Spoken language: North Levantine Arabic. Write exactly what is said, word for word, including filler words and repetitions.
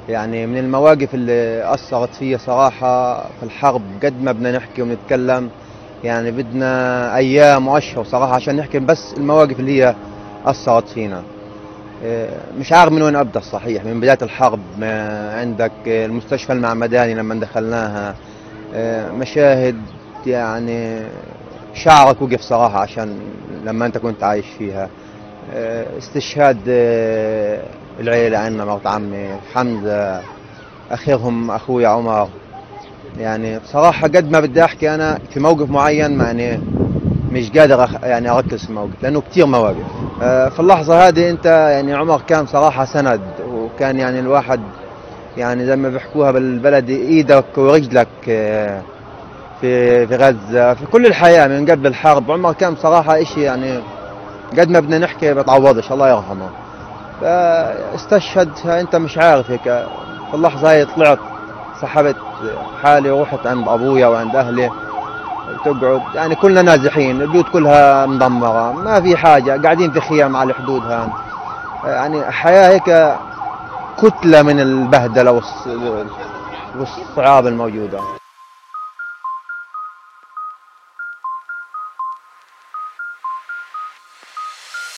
يعني من المواقف اللي أثرت فيا صراحة في الحرب، قد ما بدنا نحكي ونتكلم يعني بدنا أيام وأشهر صراحة عشان نحكي بس المواقف اللي هي أثرت فينا. مش عارف من وين أبدأ صحيح. من بداية الحرب عندك المستشفى المعمداني لما دخلناها، مشاهد يعني شعرك وقف صراحة عشان لما أنت كنت عايش فيها. استشهاد العيلة عندنا، مرت عمي حمزة، أخيرهم أخوي عمر. يعني بصراحة قد ما بدي أحكي أنا في موقف معين يعني مش قادر أخ... يعني أركز في الموقف لأنه كتير مواقف. في اللحظة هذه أنت يعني عمر كان صراحة سند، وكان يعني الواحد يعني زي ما بيحكوها بالبلدي إيدك ورجلك في في غزة، في كل الحياة من قبل الحرب. عمر كان صراحة إشي يعني قد ما بدنا نحكي بتعوضش، الله يرحمه. فاستشهد أنت مش عارف هيك. في اللحظة هاي طلعت سحبت حالي ورحت عند أبويا وعند أهلي تقعد، يعني كلنا نازحين، البيوت كلها مدمرة، ما في حاجة، قاعدين في خيام على الحدود هان. يعني حياة هيك كتلة من البهدلة والصعاب الموجودة.